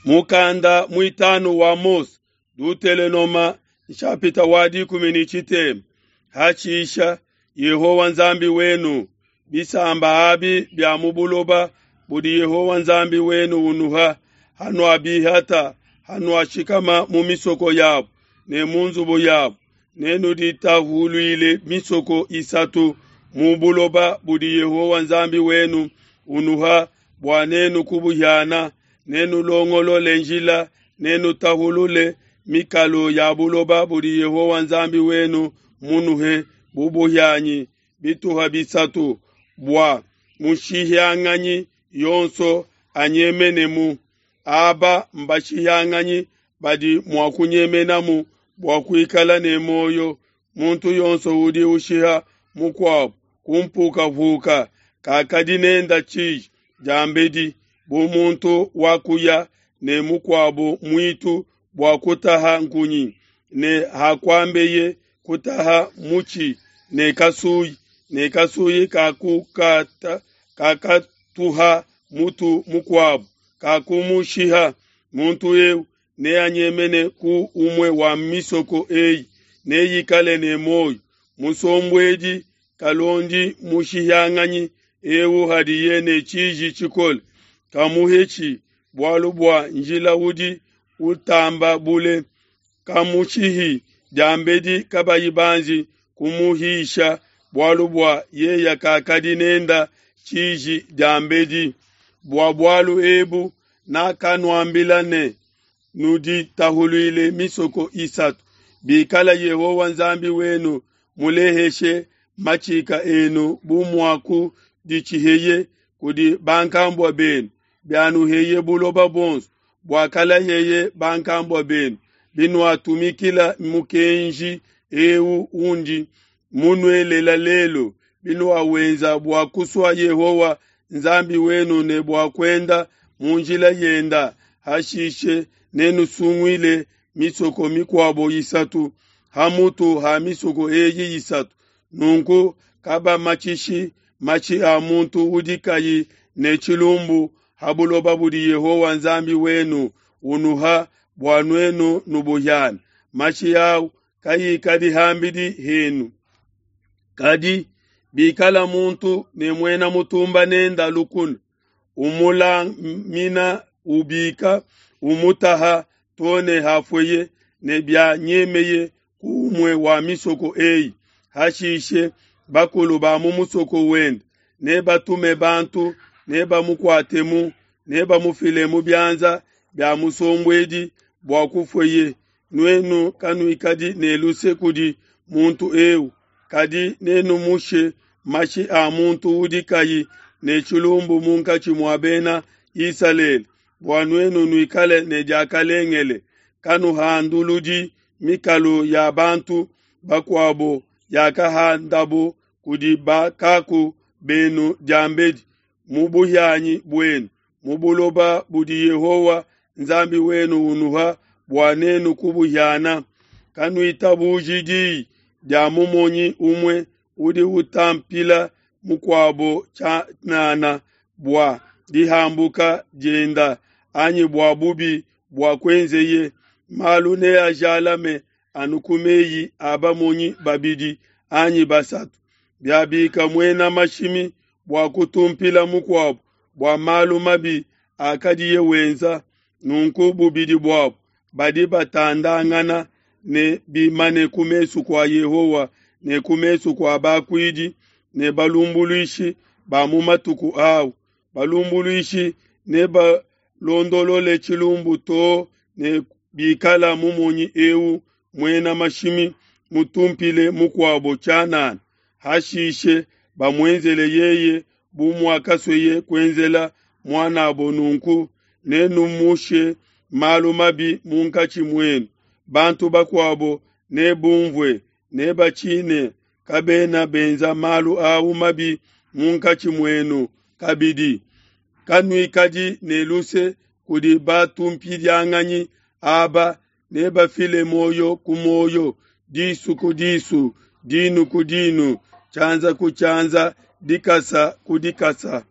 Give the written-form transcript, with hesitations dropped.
Mukanda muitanu wa Mose, Dutelenoma nshapita wa 13. Hashisha Yehowa Nzambi wenu bisamba abi bia mu buloba budi Yehowa Nzambi wenu unuha, hanuabihata, hanuashikama mu misoko yabo ne mu nzubu yabo, nenuditahuluile misoko isatu mu buloba budi Yehowa Nzambi wenu unuha bua nenu kubuhiana, nenulongolole njila, nenutahulule mikalo ya buloba budi Yehowa Nzambi wenu munuhe bu buhianyi bituha bisatu, bua mushihianganyi yonso anyemenemu. Aba mbashihianganyi badi mua kunyemenamu bua kuikala ne muoyo. Muntu yonso udi ushiha mukuabo ku mpukahuka kakadi nenda tshiji diambedi, bu muntu wakuya ne mukuabo muitu bua kutaha nkunyi, ne hakuambeye kutaha mutshi ne kasuyi, ne kasuyi kakatuha mutu mukuabo, kakumushiha. Muntu eu neanyemene ku umue wa misoko eyi, neikale ne muoyo. Musombuedi kalondi mushihianganyi eu hadiye ne tshiji tshikole, kamuhetshi, bualu bua njila udi utamba bule, kamushihi diambedi kabayi banji kumuhisha, bualu bua yeye kakadi nenda tshiji diambedi. Bua bualu ebu nakanuambila ne, nuditahuluile misoko isatu. Bikala Yehowa Nzambi wenu muleheshe matshika enu bu muakuditshiheye kudi bankambua benu, bianuheye buloba buonso buakalayeye bankambua benu, binuatumikila mukenji eu undi munuelela lelu, binuawenza bua kusua Yehowa Nzambi wenu ne bua kuenda mu njila yenda, hashishe nenusunguile misoko mikuabo isatu ha mutu ha misoko eyi isatu. Nunku kabamatshishi matshi a muntu udi kayi ne tshilumbu ha buloba budi Yehowa Nzambi wenu unuha bua nuenu nubuhiane. Mashi au kayikadi ham'bidi henu. Kadi bikala muntu ne muena mutumba nenda lukuna, umulamina ubika, umutaha too ne hafueye, ne bianyemeye ku umue wa misoko eyi, hashishe bakulu ba mu musoko wende nebatume bantu, nebamukuatemu, nebamufile mu bianza bia musombuedi bua kufueye. Nuenu kanuikadi ne luse kudi muntu eu, kadi nenumushe mashi a muntu udi kayi ne tshilumbu munkatshi mua bena Isalele, bua nuenu nuikale ne diakalengele. Kanuhanduludi mikalu ya bantu bakuabo yakahandabo kudi bakaku benu diambedi mu buhianyi buenu, mu buloba budi Yehowa Nzambi wenu unuha bua nenu kubuhiana. Kanuitabuji diyi dia mumonyi umue udi utampila mukuabo tshianana bua dihambuka dienda anyi bua bubi buakuenzeye. Malu neajalame anu ku meyi a bamonyi babidi anyi basatu. Biabika muena mashimi bua kutumpila mukuabo bua malu mabi akadiye wenza, nunku bubidi buabo badi batandangana ne bimane ku mesu kua Yehowa ne ku mesu kua bakuidi ne balumbuluishi ba mu matuku au. Balumbuluishi nebalondolole tshilumbu too ne bikala mumonyi eu muena mashimi mutumpile mukuabo tshianana, hashishe bamuenzele yeye bu muakasueye kuenzela muan'abo. Nunku nenumushe malu mabi munkatshi muenu. Bantu bakuabo nebumvue, nebatshine, kabena benza malu au mabi munkatshi muenu kabidi. Kanuikadi ne luse kudi batumpidianganyi aba, nebafile muoyo ku muoyo, disu ku disu, dinu ku dinu, tshianza ku tshianza, dikasa ku dikasa.